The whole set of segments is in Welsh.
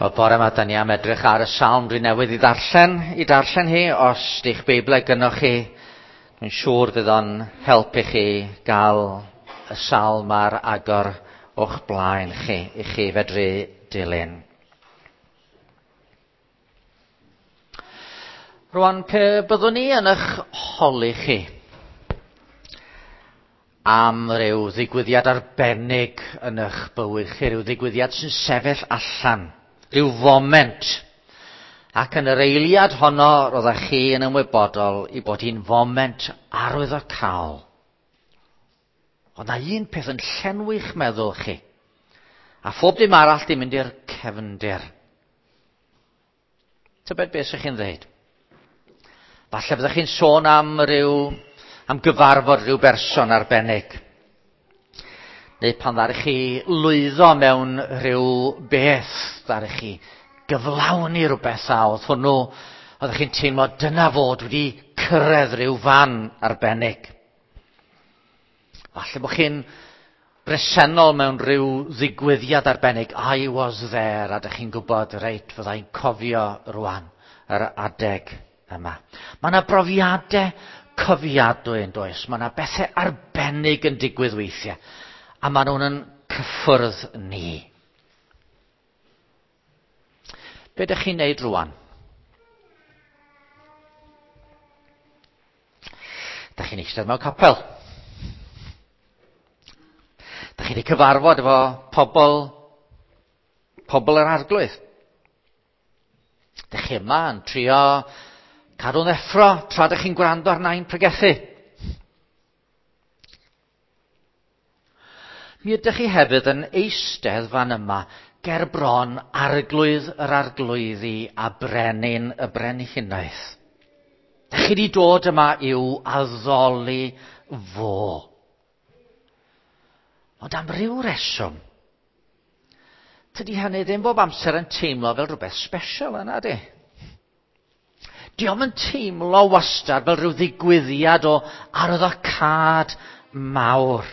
Wel, bore yma, da ni am edrych ar y salm dwi newydd i ddarllen, i darllen hi. Os di'ch Beiblau gynnoch chi, dwi'n siŵr fydd o'n helpu chi gael y salm ar agor o'ch blaen chi, i chi fedru dilyn. Rwan, pe byddwn ni yn eich holi chi am ryw ddigwyddiad arbennig yn eich bywyd chi, rhyw ddigwyddiad sy'n sefyll allan, rhyw foment. Ac yn yr eiliad honno, roeddech chi yn ymwybodol i bod hi'n foment arwyddocaol. Ond na un peth yn llenwi'ch meddwl chi, a phob dim arall di mynd i'r cefndir. Tybed beth sy'ch chi'n dweud? Falle byddech chi'n sôn am ryw, am gyfarfod rhyw berson arbennig. Neu pan ddaru chi lwyddo mewn rhyw beth, ddaru chi gyflawni rhywbeth a oedd hwnnw, oeddech chi'n teimlo dyna fod wedi cyrraedd rhyw fan arbennig. Falle bod chi'n bresennol mewn rhyw ddigwyddiad arbennig, I was there, a dych chi'n gwybod, reit, fyddai'n cofio rwan yr adeg yma. Mae yna brofiadau cofiadwy yn does. Mae yna bethau arbennig yn digwydd weithiau. A maen nhw'n yn cyffwrdd ni. Be ydych chi'n neud rwan? Dych chi'n eistedd mewn capel. Dych chi wedi cyfarfod efo pobl, pobl yr arglwydd. Dych chi yma yn trio cadw'n effro tra dych chi'n gwrando ar nain pregethu. Mi ydych chi hefyd yn eistedd fan yma ger bron arglwydd yr arglwyddi a brenin y brenhinoedd. Dych chi wedi dod yma i'w addoli fo. Ond am ryw reswm, tydi hynny ddim bob amser yn teimlo fel rhywbeth special yna di. Dio'm yn teimlo wastad fel rhyw ddigwyddiad o arwyddocâd mawr.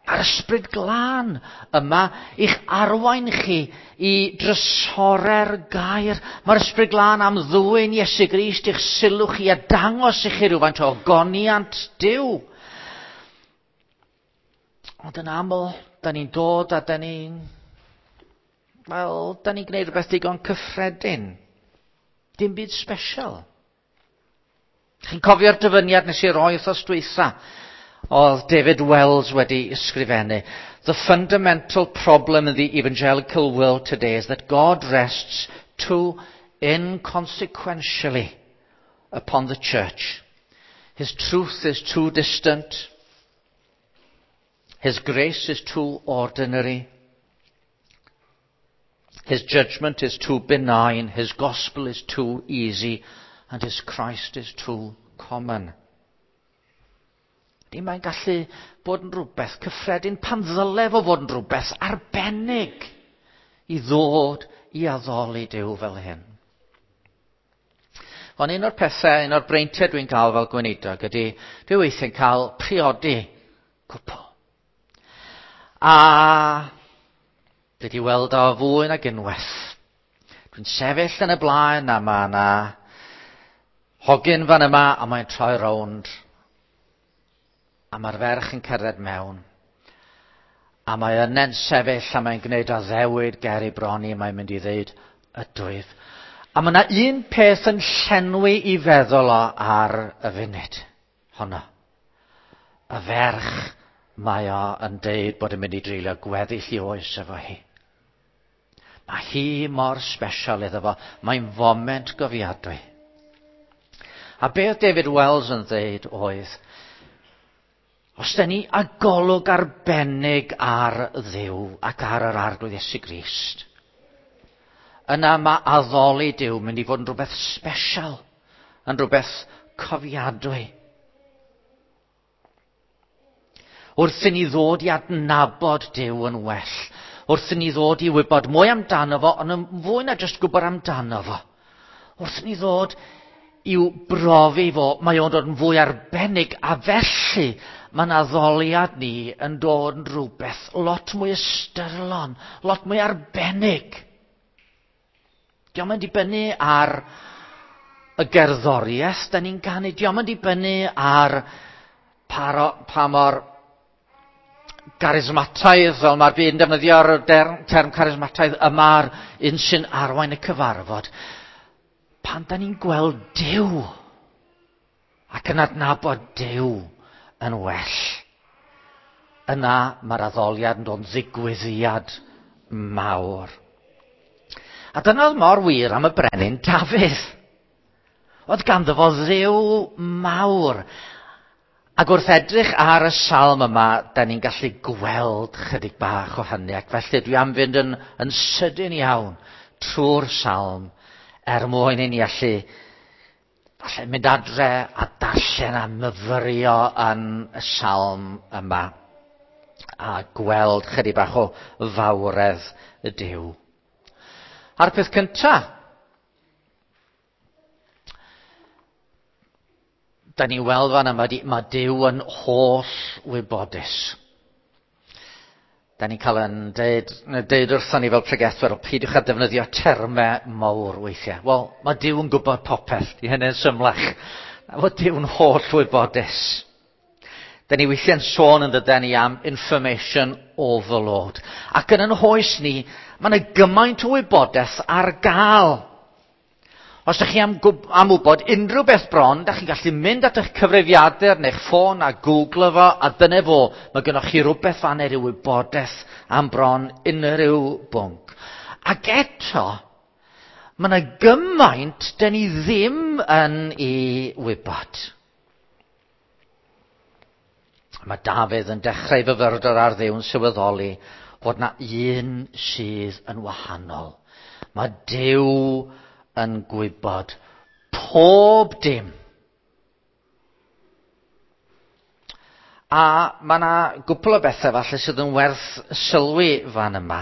Mae'r ysbryd glân yma i'ch arwain chi i drysore'r gair. Mae'r ysbryd glân am ddwyn Iesu Grist i'ch sylw chi a dangos i chi rhywfaint o ogoniant Duw. Ond yn aml, da ni'n dod a da ni'n... Wel, da ni'n gwneud rhywbeth digon cyffredin. Dim byd special. Chi'n cofio'r dyfyniad nes i roi wythnos dwytha? Oedd David Wells wedi ysgrifennu. The fundamental problem in the evangelical world today is that God rests too inconsequentially upon the church. His truth is too distant. His grace is too ordinary. His judgment is too benign. His gospel is too easy. And his Christ is too common. Di mae'n gallu bod yn rhywbeth cyffredin pan ddyle fo fod yn rhywbeth arbennig i ddod i addoli Duw fel hyn. Ond un o'r pethau, un o'r breintiau dwi'n cael fel gweinidog ydy, dwi weithiau'n cael priodi cwpl. A dwi wedi weld o fwy nag unwaith. Dwi'n sefyll yn y blaen a mae yna hogyn fan yma a mae'n troi rownd. A mae'r ferch yn cerdded mewn. A mae yna'n sefyll a mae'n gwneud addewid ger ei bron i, mae'n mynd i ddeud, ydwyf. A mae yna un peth yn llenwi i feddwl o ar y funud honno. Y ferch mae o yn deud bod yn mynd i dreulio gweddill i oes efo hi. Mae hi mor special iddo fo. Mae'n foment gofiadwy. A beth David Wells yn ddeud oedd, os da ni â golwg arbennig ar Dduw ac ar yr Arglwydd Iesu Grist, yna mae addoli Duw mynd i fod yn rhywbeth special, yn rhywbeth cofiadwy. Wrth i ni ddod i adnabod Duw yn well, wrth i ni ddod i wybod mwy amdano fo, ond yn fwy na jyst gwybod amdano fo, wrth i ni ddod i'w brofi fo, mae o'n dod yn fwy arbennig, a felly mae'n addoliad ni yn dod yn rhywbeth lot mwy ystyrlon, lot mwy arbennig. Dio'm yn dibynnu ar y gerddoriaeth da ni'n canu, dio'm yn dibynnu ar pa mor garismataidd, fel mae'r byd yn defnyddio'r term carismataidd, yma'r un sy'n arwain y cyfarfod. Pan da ni'n gweld Duw ac yn adnabod Duw yn well, yna mae'r addoliad yn dod yn ddigwyddiad mawr. A dyna oedd mor wir am y brenin Dafydd. Oedd ganddo fo Dduw mawr. Ac wrth edrych ar y salm yma, da ni'n gallu gweld chydig bach o hynny, ac felly dwi am fynd yn sydyn iawn trwy'r salm er mwyn i ni allu falle mynd adre a darllen a myfyrio yn y salm yma a gweld chydig bach o fawredd y Duw. A'r peth cyntaf, da ni'n weld fan yma, mae Duw yn holl wybodus. Da ni'n cael yn deud wrthon ni fel pregethwyr, peidiwch â defnyddio termau mawr weithiau. Wel, mae Duw yn gwybod popeth, di hynny'n symlach. Na fod Duw'n holl wybodus. Da ni weithiau'n sôn yn dydyn ni am information overload. Ac yn yn hoes ni, mae yna gymaint o wybodaeth ar gael. Os ydych chi am wybod unrhyw beth bron, da chi'n gallu mynd at eich cyfrifiadur neu'ch ffôn a googlo fo, a dyna fo, mae gennych chi rhywbeth fan neu ryw wybodaeth am bron unrhyw bwnc. Ac eto, mae yna gymaint da ni ddim yn ei wybod. Mae Dafydd yn dechrau fyfyrdod ar Dduw yn sylweddoli fod na un sydd yn wahanol. Mae Duw yn gwybod pob dim. A mae yna gwpl o bethau falle sydd yn werth sylwi fan yma.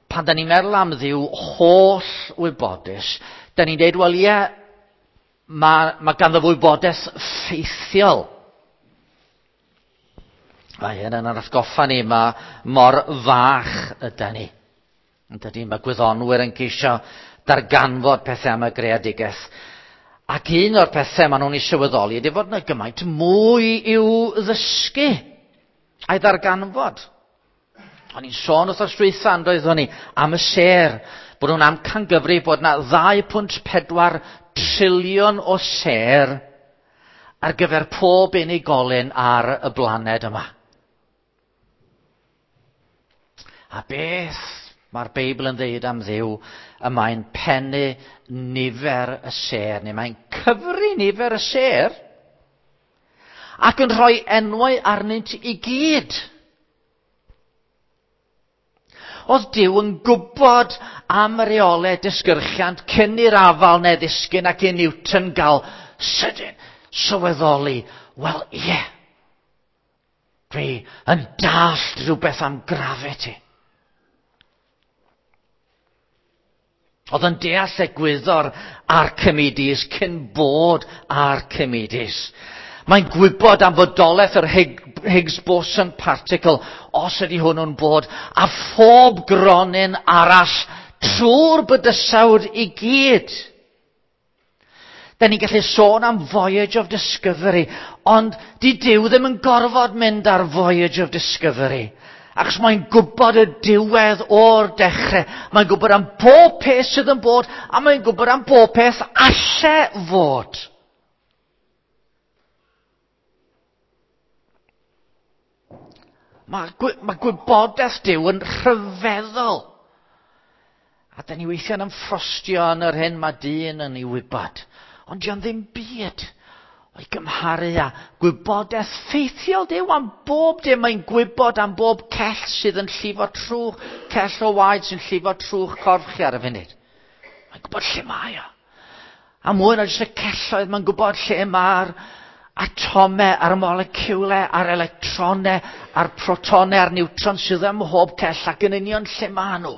Pan da ni'n meddwl am Dduw holl wybodus, da ni'n deud, wel ie, mae ganddo wybodaeth ffeithiol. Mae hyn yn atgoffa ni, mae mor fach yda ni. Yn dydy, mae gwyddonwyr yn ceisio darganfod pethau am y greadigaeth. Ac un o'r pethau maen nhw'n ei sylweddoli ydy fod yna gymaint mwy i'w ddysgu a'i ddarganfod. O'n i'n sôn wrth dwytha yn doeddwn ni am y sêr, bod nhw'n amcangyfrif bod yna 2.4 triliwn o sêr ar gyfer pob unigolyn ar y blaned yma. A beth mae'r Beibl yn dweud am Dduw, y mae'n pennu nifer y sêr, neu mae'n cyfri nifer y sêr, ac yn rhoi enwau arnynt i gyd. Oedd Duw yn gwybod am y reolau disgyrchiant cyn i'r afal neu ddisgyn ac i Newton gael sydyn sylweddoli, wel ie, dwi yn dallt rhywbeth am gravity. Oedd yn deall egwyddor Archimedes cyn bod Archimedes. Mae'n gwybod am fodolaeth yr Higgs boson particle, os ydy hwnnw'n bod, a phob gronyn arall trwy'r bydysawd i gyd. Da ni'n gallu sôn am Voyage of Discovery, ond di Duw ddim yn gorfod mynd ar Voyage of Discovery. Achos mae'n gwybod y diwedd o'r dechrau. Mae'n gwybod am bob peth sydd yn bod, a mae'n gwybod am bob peth alle fod. Mae gwybodaeth Duw yn rhyfeddol. A da ni weithiau'n ymffrostio yn yr hyn mae dyn yn ei wybod. Ond dio'n ddim byd o'i gymharu â gwybodaeth ffeithiol Duw am bob dim. Mae'n gwybod am bob cell sydd yn llifo trwch, cell o waed sy'n llifo trwch corff chi ar y funud. Mae'n gwybod lle mae o. A mwy na jyst y celloedd, mae'n gwybod lle mae'r atomau, a'r moleciwlau, a'r electronau, a'r protonau, a'r niwtron sydd ym mhob cell ac yn union lle maen nhw.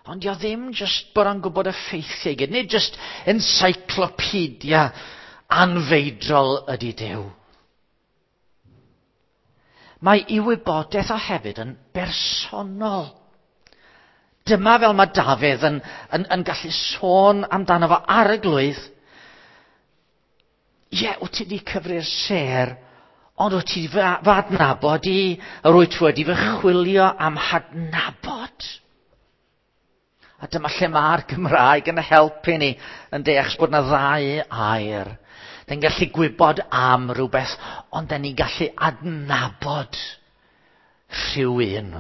Ond dio ddim jyst bod o'n gwybod y ffeithiau i gyd. Nid jyst encyclopedia anfeidrol ydy Duw. Mae ei wybodaeth o hefyd yn bersonol. Dyma fel mae Dafydd yn, yn, yn gallu sôn amdano fo ar y glwydd. Ie, wyt ti wedi cyfri'r sêr, ond wyt ti fy adnabod i, yr wyt wedi fy chwilio am hadnabod. A dyma lle mae'r Gymraeg yn helpu ni yn deall bod yna ddau air. Dyn gallu gwybod am rhywbeth, ond dyn ni'n gallu adnabod rhywun.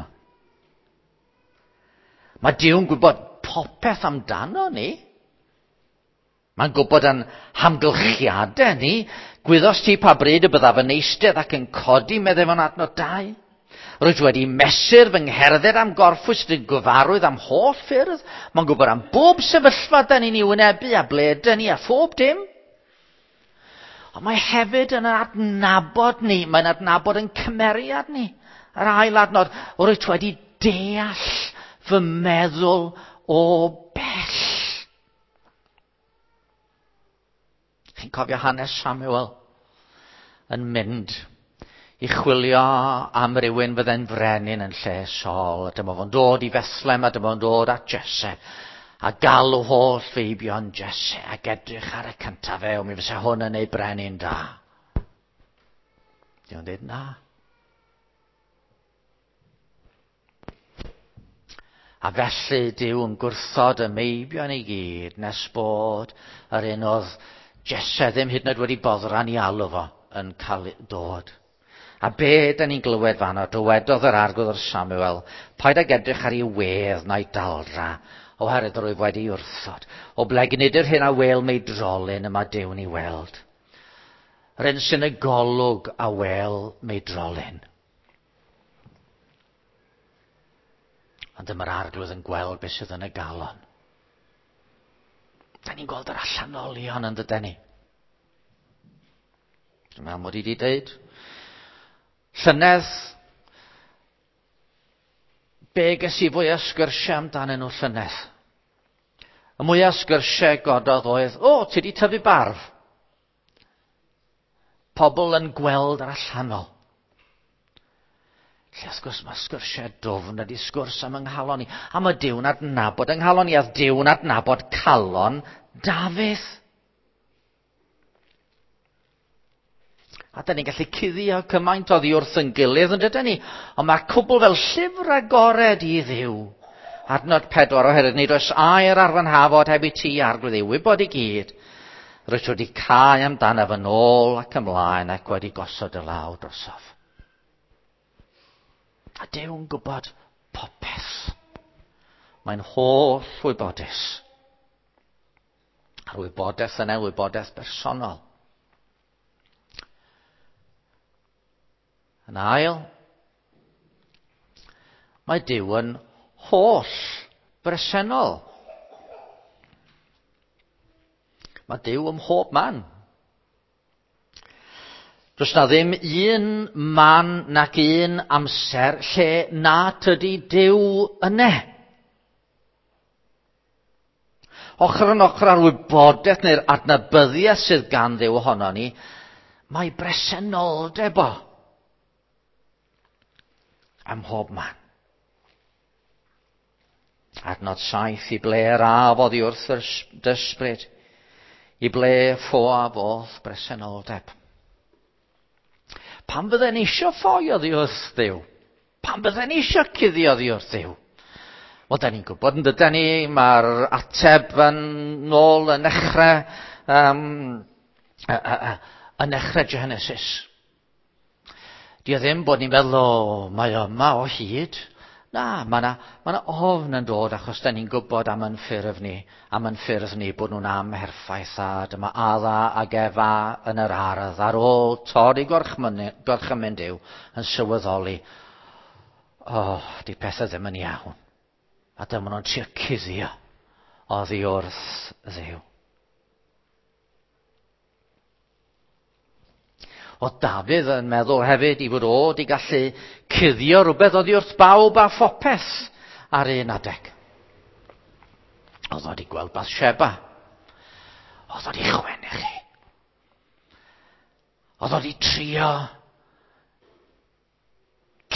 Mae Duw'n gwybod popeth amdano ni. Mae'n gwybod yn hamgylchiadau ni. Gwyddos ti pa bryd y byddaf yn eistedd ac yn codi, meddai fo'n adnod 2. Rwyt wedi mesur fy ngherdded am gorffwys yn gyfarwydd am holl ffyrdd. Mae'n gwybod am bob sefyllfa da ni'n ei wynebu a ble dyn ni a phob dim. Ond mae hefyd yn adnabod ni. Mae'n adnabod yn cymeriad ni. Yr ail adnod, rwyt wedi deall fy meddwl o bell. Chi'n cofio hanes Samuel yn mynd i chwilio am rywun fydde'n frenin yn lle Saul. A dyma fo'n dod i Bethlehem a dyma fo'n dod at Jesse. A galw holl feibion Jesse ac edrych ar y cyntaf e, o mi fysa hwn yn ei brenin da. Di o'n dweud na. A felly Duw yn gwrthod y meibion i gyd nes bod yr un oedd Jesse ddim hyd yn oed wedi boddran i alw fo yn cael dod. A be da ni'n glywed fanno, dywedodd yr arglwydd wrth Samuel, paid ag edrych ar ei wedd na'i daldra, oherwydd rwyf wedi wrthod. O bleg nid yr hyn a wel meidrolyn y mae Duw'n ei weld. Yr un sy'n y golwg a wel meidrolyn. Ond dyma'r arglwydd yn gweld beth sydd yn y galon. Da ni'n gweld yr allanolion yn dydyn ni. Dwi'n meddwl mod i wedi dweud. Llynedd, be ges i fwy o sgyrsiau amdanyn nhw llynedd? Y mwyaf sgyrsiau gododd oedd, o, ti wedi tyfu barf. Pobl yn gweld yr allanol. Lle wrth gwrs mae sgyrsiau dwfn ydy sgwrs am yng nghalon i. A mae Duw'n adnabod yng nghalon i, a Duw'n adnabod calon Dafydd. A da ni'n gallu cuddio cymaint oddi wrth yn gilydd yn dydyn ni. Ond mae'r cwbl fel llyfr agored i Dduw. Adnod 4, oherwydd nid oes air ar fy nhafod heb i ti, Arglwydd, ei wybod i gyd. Rwyt wedi cau amdanaf yn ôl ac ymlaen ac wedi gosod y law drosof. A Duw'n gwybod popeth. Mae'n holl wybodus. A'r wybodaeth yna, wybodaeth bersonol. Yn ail, mae Duw yn holl bresennol. Mae Duw ym mhob man. Does na ddim un man nac un amser lle na tydi Duw yne. Ochr yn ochr â'r wybodaeth neu'r adnabyddiaeth sydd gan Dduw ohono ni, mae bresenoldeb o ym mhob man. Adnod 7, i ble yr af oddi wrth yr dysbryd, i ble ffoaf o'th bresenoldeb. Pam fydden eisiau ffoi oddi wrth Dduw? Pam fydden eisiau cuddio oddi wrth Dduw? Wel, da ni'n gwybod yn dydyn ni, mae'r ateb yn nôl yn nechrau, yn nechrau Genesis. Di o ddim bod ni'n meddwl, o, mae yma o hyd. Na, mae yna ma ofn yn dod achos da ni'n gwybod am yn ffurf ni, am yn ffyrdd ni bod nhw'n amherffaith a dyma Adda ac Efa yn yr ardd ar ôl torri gorchymyn Duw yn sylweddoli, o, oh, di pethau ddim yn iawn. A dyma nhw'n trio cuddio oddi wrth Dduw. Oedd Dafydd yn meddwl hefyd i fod o wedi gallu cuddio rhywbeth oddi wrth bawb a phopeth ar un adeg. Oedd o wedi gweld Bathsheba. Oedd o wedi chwennych chi. Oedd o wedi trio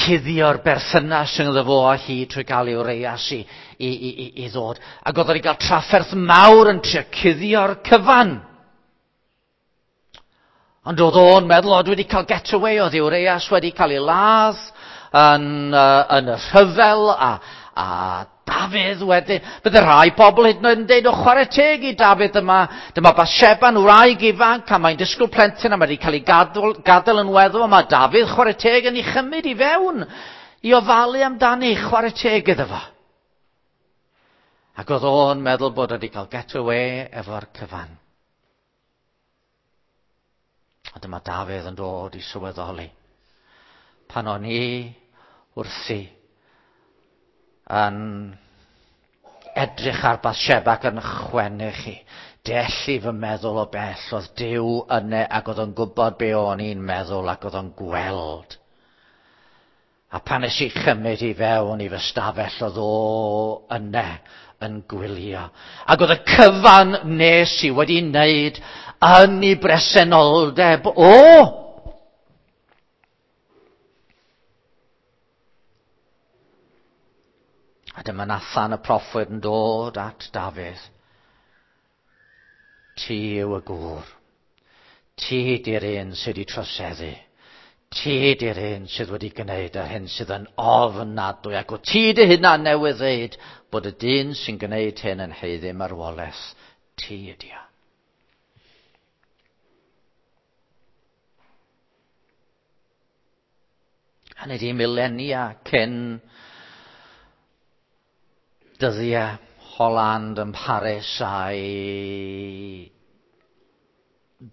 cuddio'r berthynas ynddo fo a hi trwy gael ei wreias i, i, i, i, i ddod. Ac oedd o wedi cael trafferth mawr yn trio cuddio'r cyfan. Ond oedd o'n meddwl, o, dwi wedi cael getaway, oedd Urias wedi cael ei ladd yn, yn y rhyfel, a, a Dafydd wedyn. Bydde rhai pobl hyd yn oed yn deud, o chwarae teg i Dafydd yma, dyma Bathsheba'n wraig ifanc, a mae'n disgwyl plentyn, a mae wedi cael ei gadael, gadael yn weddw, a mae Dafydd chwarae teg yn ei chymryd i fewn i ofalu amdani, chwarae teg iddo fo. Ac oedd o'n meddwl bod wedi cael getaway efo'r cyfan. A dyma Dafydd yn dod i sylweddoli. Pan o'n i wrthi yn edrych ar Bathsheba ac yn chwennych chi, dellu fy meddwl o bell, oedd Duw yne ac oedd o'n gwybod be o'n i'n meddwl ac oedd o'n gweld. A pan nes i chymryd i fewn i fy stafell, oedd o yne yn gwylio. Ac oedd y cyfan nes i wedi wneud yn ei bresenoldeb o. A dyma Nathan y proffwyd yn dod at Dafydd. Ti yw y gŵr. Ti di'r un sydd wedi troseddu. Ti di'r un sydd wedi gwneud yr hyn sydd yn ofnadwy. Ac o ti dy hunan newydd ddeud bod y dyn sy'n gwneud hyn yn haeddu marwolaeth. Ti ydi o. Hynny ydi milenia cyn dyddiau Holland yn Paris a'i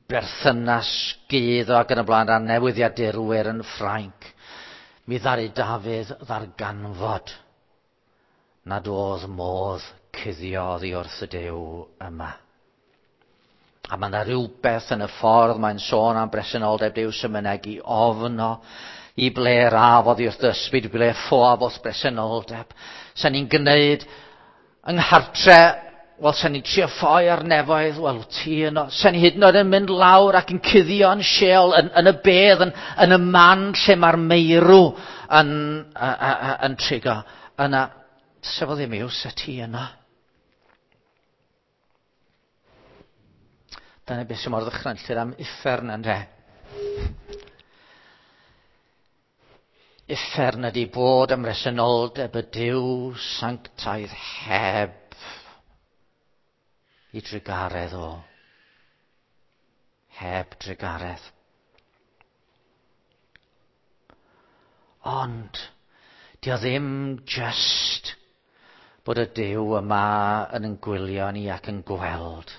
berthynas gudd o ac yn y blaen â newyddiadurwyr yn Ffrainc. Mi ddaru Dafydd ddarganfod nad oedd modd cuddio oddi wrth y Duw yma. A mae yna rhywbeth yn y ffordd mae'n sôn am bresenoldeb Duw sy'n mynegi ofn o i ble raf oddi wrth ysbryd, i ble ffoaf wrth bresenoldeb. Sa'n ni'n gwneud yng nghartre, wel, sa'n ni'n trio ffoi ar nefoedd, wel, ti yno. Sa'n ni hyd yn oed yn mynd lawr ac yn cuddio yn Sheol, yn, yn y bedd, yn, yn y man lle mae'r meirw yn, yn trigo. Yna, sef o ddim yw, sa ti yno. Dyna beth sy'n mor ddychrynllyd am uffern ynde. Uffern ydy bod ym mhresenoldeb y Duw sanctaidd heb i drugaredd o. Heb drugaredd. Ond, di o ddim just bod y Duw yma yn yn gwylio ni ac yn gweld.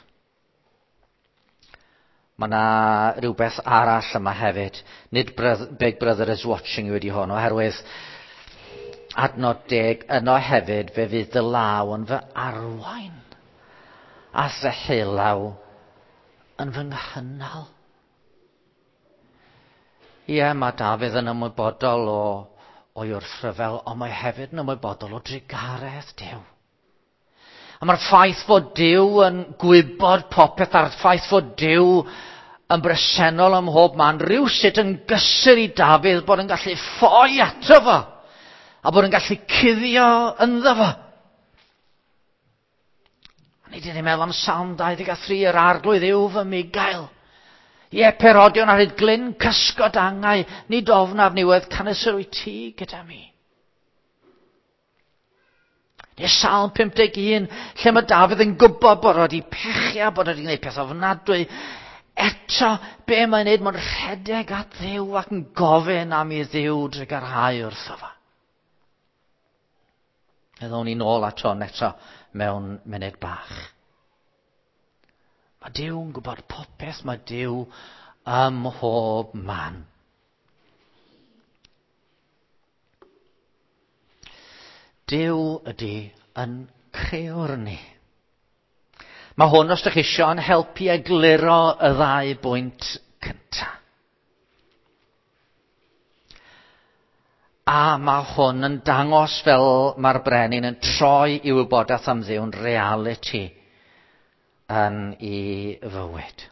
Mae yna rhywbeth arall yma hefyd. Nid Big Brother is watching you ydi hwn, oherwydd adnod 10, yno hefyd fe fydd dy law yn fy arwain a ddeheulaw yn fy nghynnal. Ie, mae Dafydd yn ymwybodol o o'i wrthryfel, ond mae hefyd yn ymwybodol o drugaredd Duw. A mae'r ffaith fod Duw yn gwybod popeth, a'r ffaith fod Duw yn bresennol ym mhob man, rhywsut yn gysur i Dafydd bod yn gallu ffoi ato fo, a bod yn gallu cuddio ynddo fo. A ni wedi meddwl am Salm 23, yr arglwydd yw fy migail. Ie, perodion ar hyd glyn cysgod angau, nid ofnaf niwedd canys yr wyt ti gyda mi. Neu Salm 51, lle mae Dafydd yn gwybod bod o wedi pechu a bod o wedi gwneud peth ofnadwy. Eto, be mae'n neud? Mae'n rhedeg at Dduw ac yn gofyn am i Dduw drugarhau wrtho fo. Fe ddown ni nôl ato hwn eto mewn munud bach. Mae Duw yn gwybod popeth, mae Duw ym mhob man. Duw ydy yn crëwr ni. Mae hwn, os ydych chi eisiau, yn helpu egluro y ddau bwynt cyntaf. A mae hwn yn dangos fel mae'r brenin yn troi i wybodaeth am Dduw'n realiti yn ei fywyd.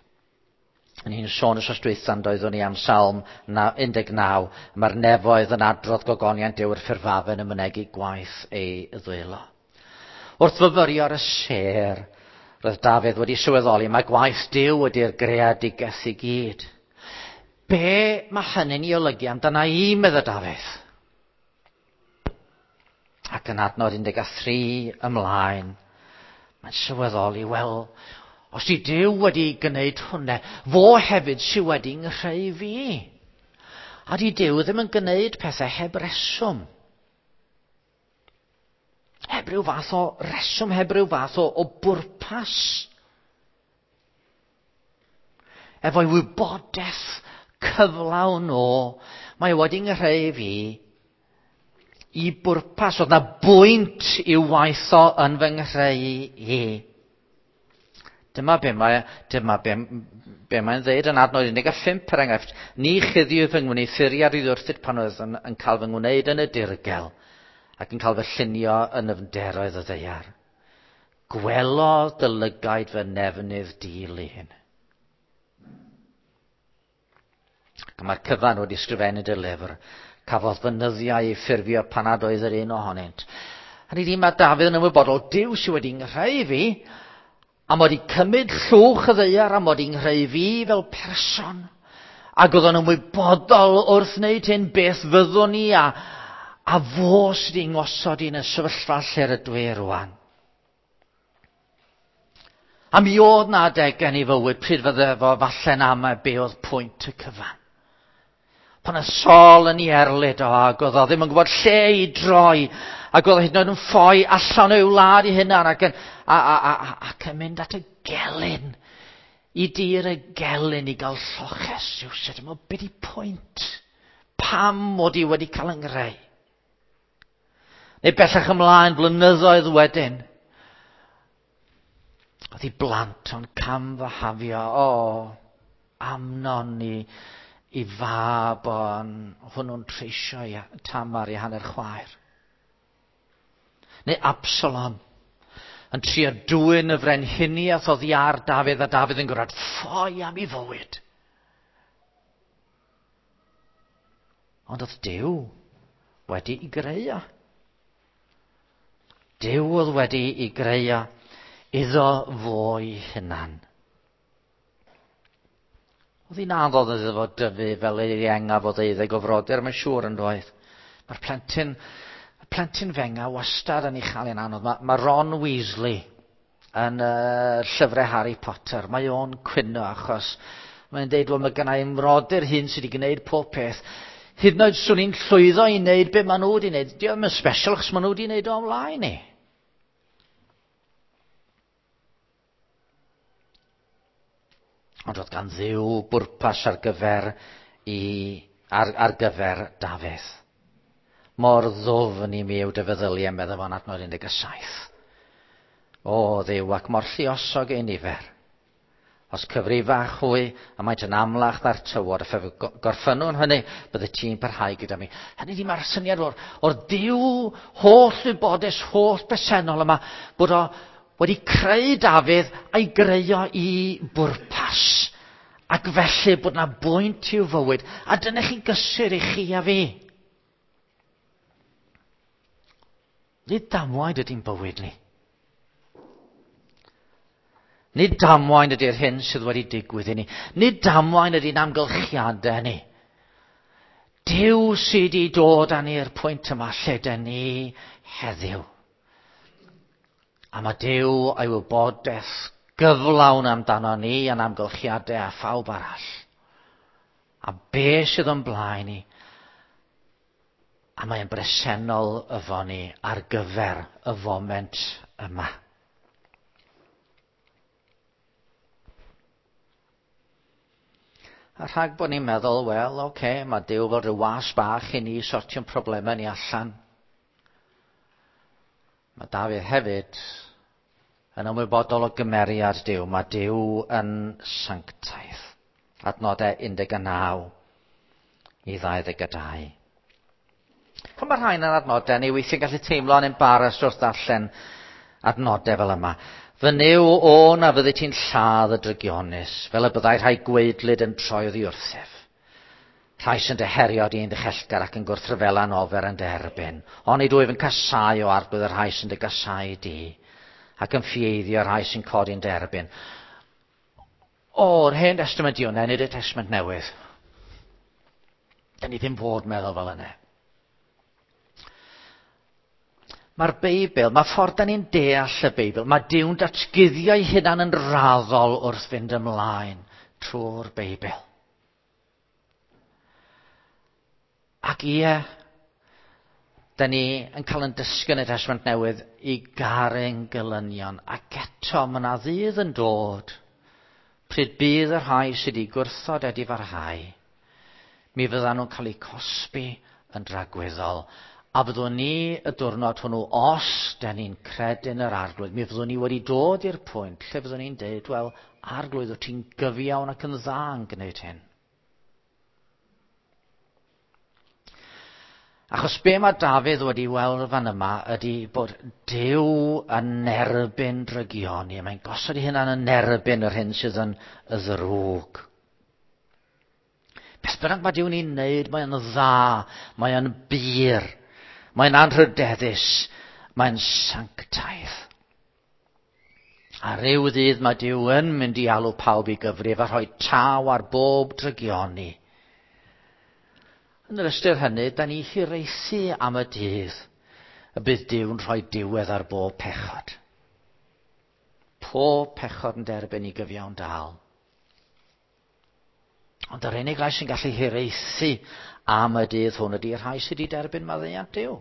Yn hi'n sôn wsos dwytha yn doeddwn ni am Salm 19, mae'r nefoedd yn adrodd gogoniant Duw i'r ffurfafen yn mynegi gwaith ei ddwylo. Wrth fyfyrio ar y sêr, roedd Dafydd wedi sylweddoli mae gwaith Duw ydy'r greadigaeth i gyd. Be mae hynny'n ei olygu amdana i, medda Dafydd? Ac yn adnod 13 ymlaen, mae'n sylweddoli, wel, os di Duw wedi gwneud hwnna, fo hefyd sydd wedi nghreu fi. A di Duw ddim yn gwneud pethau heb reswm. Heb ryw fath o reswm, heb ryw fath o bwrpas. Efo'i wybodaeth cyflawn o, mae wedi nghreu fi i bwrpas. Oedd na bwynt i'w waith o yn fy nghreu i. Dyma be mae, dyma be, be mae'n dweud yn adnod 15 per enghraifft. Ni chuddiw fy ngwneuthuriad i wrthyd pan oedd yn cael fy ngwneud yn y dirgel ac yn cael fy llunio yn nyfnderoedd y ddaear. Gwelodd dy lygaid fy nefnydd di-lun. Ac mae'r cyfan wedi sgrifennu dy lyfr. Cafodd fy nyddiau ei ffurfio pan nad oedd yr un ohonynt. Hynny ydi, mae Dafydd yn ymwybodol, Duw sydd wedi nghreu fi, a mod i cymryd llwch y ddaear, a mod i'n nghreu fi fel person. Ac oedd o'n ymwybodol wrth wneud hyn beth fyddwn ni a fo sydd wedi ngosod i yn y sefyllfa lle rydw i rwan. A mi oedd na adeg yn ei fywyd pryd fydde fo falle'n amau be oedd pwynt y cyfan. Pan oedd Saul yn ei erlid o, ac oedd o ddim yn gwybod lle i droi, ac oedd o hyd yn oed yn ffoi allan o'i wlad ei hunan, ac yn, a, a, a, a, ac yn mynd at y gelyn, i dir y gelyn i gael lloches rhywsut. Dwi'n meddwl, be di pwynt? Pam mod i wedi cael yng ngreu? Neu bellach ymlaen, blynyddoedd wedyn, oedd ei blant o'n cam fy hafio, o, Amnon i fab o'n hwnnw'n treisio i Tamar i hanner chwaer. Neu Absalom yn trio dwyn y frenhiniaeth oddi ar Dafydd, a Dafydd yn gorfod ffoi am ei fywyd. Ond oedd Duw wedi i greu o. Duw oedd wedi i greu o iddo fo'i hunan. Oedd hi'n anodd iddo fo dyfu fel ei iengaf o ddeuddeg o frodyr, mae'n siŵr yn doedd. Mae'r plentyn fenga wastad yn ei chael hi'n anodd. Mae Ron Weasley yn llyfrau Harry Potter, mae o'n cwyno achos mae'n deud, wel, mae gynna i mrodyr hyn sydd wedi gwneud pob peth. Hyd yn oed swn i'n llwyddo i wneud be maen nhw wedi wneud. Di o'm yn special achos maen nhw wedi wneud o ymlaen i. Ond oedd gan Dduw bwrpas ar gyfer Dafydd. Mor ddwfn i mi yw dy feddyliau, meddai fo'n adnod 17. O Dduw, ac mor lluosog ei nifer. Os cyfrifach hwy, a maent yn amlach na'r tywod, a phe gorffynnwn hynny, bydde ti'n parhau gyda mi. Hynny ydi, mae'r syniad o'r Duw holl wybodus, holl bresennol yma, bod o wedi creu Dafydd a'i greu o i bwrpas. Ac felly bod na bwynt i'w fywyd. A dyna chi gysur i chi a fi. Nid damwain ydy'n bywyd ni. Nid damwain ydy'r hyn sydd wedi digwydd i ni. Nid damwain ydy'n amgylchiadau ni. Duw sydd wedi dod â ni i'r pwynt yma lle dyn ni heddiw. A mae Duw a'i wybodaeth gyflawn amdano ni a'n amgylchiadau a phawb arall. A be sydd o'n blaen ni, a mae'n bresennol efo ni ar gyfer y foment yma. A rhag bod ni'n meddwl, wel, oce, mae Duw fel rhyw was bach i ni sortio'n problemau ni allan. Mae Dafydd hefyd yn ymwybodol o gymeriad Duw. Mae Duw yn sanctaidd. Adnodau 19 i 22. Pan mae rhain yn adnodau, ni weithiau'n gallu teimlo'n embarrassed wrth ddarllen adnodau fel yma. Fy Nuw o na fyddi ti'n lladd y drygionus, fel y byddai rhai gwaedlyd yn troi oddi wrthyf. Rhai sy'n dy herio di'n ddichellgar ac yn gwrthryfela'n ofer yn dy erbyn. Onid wyf yn casáu o arglwydd y rhai sy'n dy gasáu di, ac yn ffieiddio rhai sy'n codi'n dy erbyn. O'r Hen Testament di hwnna, nid y Testament Newydd. Da ni ddim fod meddwl fel yna. Mae'r Beibl, mae ffordd da ni'n deall y Beibl, mae Duw'n datguddio'i hunan yn raddol wrth fynd ymlaen trwy'r Beibl. Ac ie, da ni yn cael yn dysgu yn y Testament Newydd i garu'n gylynion, ac eto mae yna ddydd yn dod pryd bydd y rhai sydd wedi gwrthod edifarhau, mi fyddan nhw'n cael eu cosbi yn dragwyddol. A fyddwn ni y diwrnod hwnnw, os da ni'n credu yn yr Arglwydd, mi fyddwn ni wedi dod i'r pwynt lle fyddwn ni'n deud, wel, Arglwydd, wyt ti'n gyfiawn ac yn dda yn gwneud hyn. Achos be mae Dafydd wedi weld fan yma ydy bod Duw yn erbyn drygioni. Mae'n gosod ei hunan yn erbyn yr hyn sydd yn y ddrwg. Beth bynnag mae Duw'n ei wneud, mae'n dda, mae'n bur, mae'n anrhydeddus, mae'n sanctaidd. A ryw ddydd mae Duw yn mynd i alw pawb i gyfrif a rhoi taw ar bob drygioni. Yn yr ystyr hynny, da ni hiraethu am y dydd y bydd Duw'n rhoi diwedd ar bob pechod. Pob pechod yn derbyn i gyfiawn dal. Ond yr unig rai sy'n gallu hiraethu am y dydd hwn ydy rhai sydd wedi derbyn maddeuant Duw.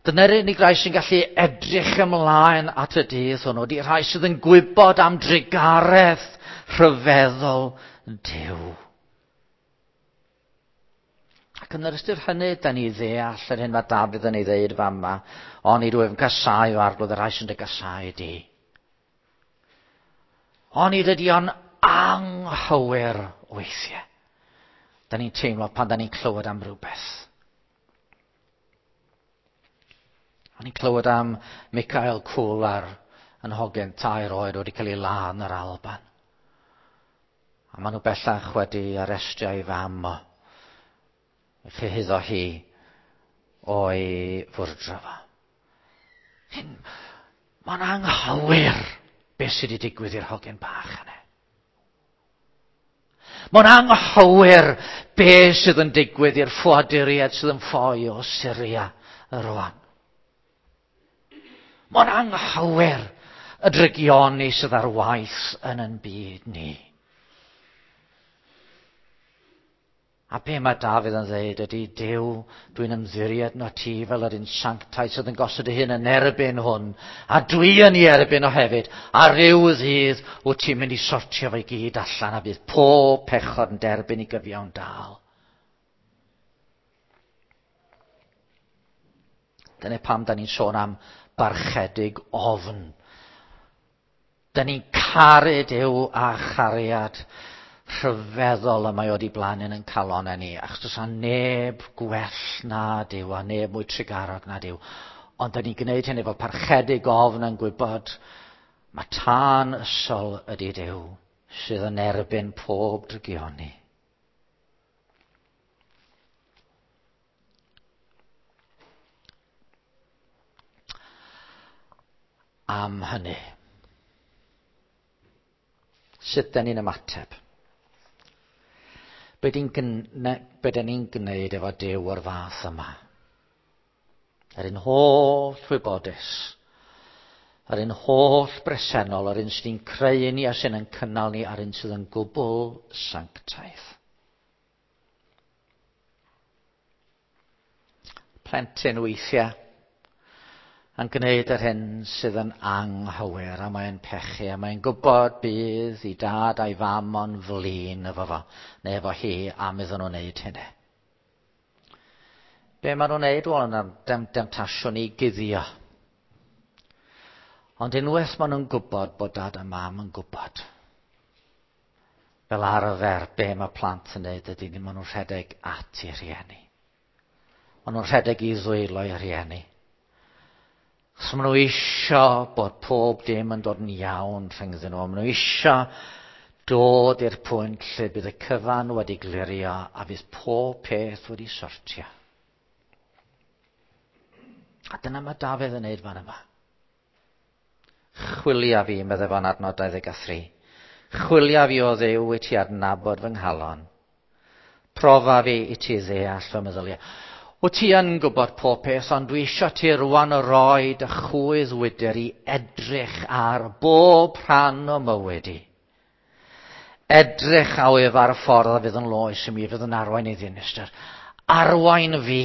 Dyna'r unig rai sy'n gallu edrych ymlaen at y dydd hwnnw, ydy rhai sydd yn gwybod am drugaredd rhyfeddol Duw. Ac yn yr ystyr hynny, da ni ddeall yr hyn mae Dafydd yn ei ddeud fama, onid wyf yn casáu o arglwydd y rhai sy'n dy gasáu di. Onid ydy o'n anghywir weithiau. Da ni'n teimlo pan da ni'n clywed am rhywbeth. O'n i'n clywed am Michael Cooler yn hogyn 3 oed wedi cael ei ladd yn yr Alban. A maen nhw bellach wedi arestio ei fam o. Ei chyhuddo hi o'i fwrdro fo. Hyn, mae'n anghywir beth sydd wedi digwydd i'r hogyn bach yna. Mae'n anghywir beth sydd yn digwydd i'r ffoaduriaid sydd yn ffoi o Syria rwan. Mae'n anghywir y drygioni sydd ar waith yn ein byd ni. A be mae Dafydd yn dweud ydy, Duw, dwi'n ymddiried na ti fel yr un sanctaidd sydd yn gosod ei hun yn erbyn hwn, a dwi yn ei erbyn o hefyd, a ryw ddydd wyt ti'n mynd i sortio fe i gyd allan, a bydd pob pechod yn derbyn i gyfiawn dal. Dyna pam da ni'n sôn am barchedig ofn. Da ni'n caru Duw a chariad rhyfeddol y mae o wedi blannu yn calonau ni, achos does 'na neb gwell na Duw a neb mwy trugarog na Duw. Ond da ni'n gwneud hyn efo parchedig ofn yn gwybod mae tân ysol ydy Duw sydd yn erbyn pob drygioni. Am hynny, sut da ni'n ymateb? Be dyn ni'n gwneud efo Duw o'r fath yma? Yr un holl wybodus, yr un holl bresennol, yr un sydd yn creu ni a sydd yn cynnal ni, a'r un sydd yn gwbl sanctaidd. Plentyn weithiau yn gwneud yr hyn sydd yn anghywir, a mae'n pechu, a mae'n gwybod bydd i dad a'i fam o'n flin efo fo, neu efo hi, am iddyn nhw wneud hynny. Be maen nhw'n wneud? Wel, yna demtasiwn i guddio. Ond unwaith maen nhw'n gwybod bod dad a mam yn gwybod, fel arfer, be mae plant yn wneud ydy, maen nhw'n rhedeg at eu rhieni. Maen nhw'n rhedeg i ddwylo eu rhieni. Achos maen nhw isio bod pob dim yn dod yn iawn rhyngddyn nhw. Maen nhw isio dod i'r pwynt lle bydd y cyfan wedi glirio a fydd pob peth wedi sortio. A dyna mae Dafydd yn neud fan yma. Chwilia fi, meddai fo'n adnod 23. Chwilia fi o Dduw i ti adnabod fy nghalon. Profa fi i ti ddeall fy meddyliau. Wyt ti yn gwybod pob peth, ond dwi eisiau ti rwan roi dy chwydd wydr i edrych ar bob rhan o mywyd i. Edrych a wyf ar y ffordd a fydd yn loes i mi, fydd yn arwain i ddinistr. Arwain fi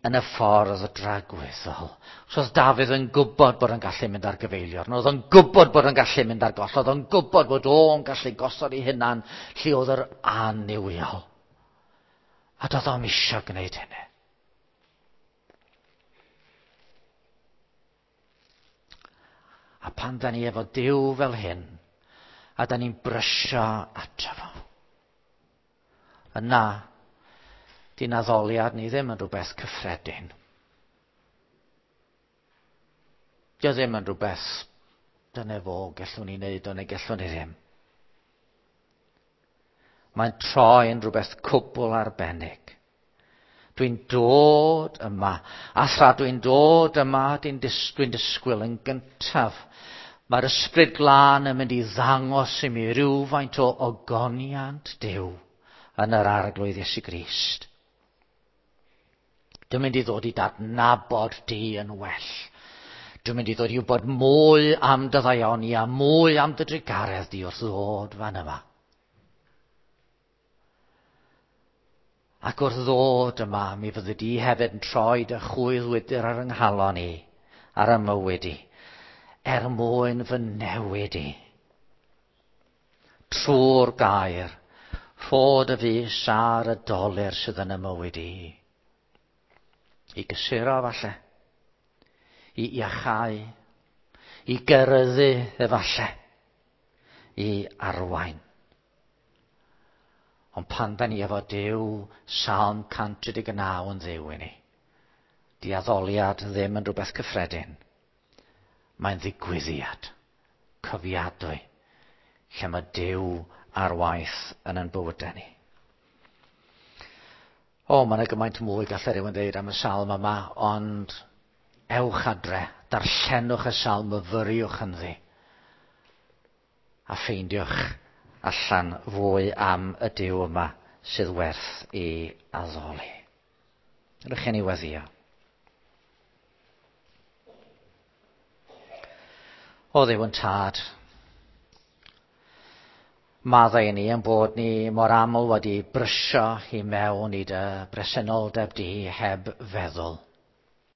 yn y ffordd dragwyddol. So oedd Dafydd yn gwybod bod yn gallu mynd ar gyfeiliorn, oedd o'n gwybod bod yn gallu mynd ar goll, oedd o'n gwybod bod o'n gallu gosod ei hunan lle oedd yr annuwiol. A doedd o'm eisiau gwneud hynny. A pan da ni efo Duw fel hyn, a da ni'n brysio ato fo, yna, di'n addoliad ni ddim yn rhywbeth cyffredin. Dio ddim yn rhywbeth, dyna fo, gellwn ni wneud o neu gellwn ni ddim. Mae'n troi yn rhywbeth cwbl arbennig. Dwi'n dod yma, a thra dwi'n dod yma, dwi'n dis dwi'n disgwyl yn gyntaf. Mae'r Ysbryd Glân yn mynd i ddangos i mi rywfaint o ogoniant Duw yn yr Arglwydd Iesu Grist. Dwi'n mynd i ddod i dadnabod di yn well. Dwi'n mynd i ddod i wybod mwy am dy ddaioni a mwy am dy drugaredd di wrth ddod fan yma. Ac wrth ddod yma, mi fyddi di hefyd yn troi dy chwydd wydr ar yng nghalon i, ar y mywyd i, er mwyn fy newid i. Trwy'r gair, rho dy fys ar y dolur sydd yn y mywyd i. I gysuro falle, i iachau, i geryddu efallai, i arwain. Ond pan da ni efo Duw, Salm 139 yn ddiw i ni. Di addoliad ddim yn rhywbeth cyffredin. Mae'n ddigwyddiad, cofiadwy, lle mae Duw ar waith yn ein bywydau ni. O, mae yna gymaint mwy gallai rhywun ddeud am y salm yma, ond ewch adre, darllenwch y salm, myfyriwch ynddi, a ffeindiwch allan fwy am y Duw yma sydd werth i addoli. Rydych chi'n ei weddio. O Dduw yn tad, maddau i ni yn bod ni mor aml wedi brysio i mewn i dy bresenoldeb di heb feddwl.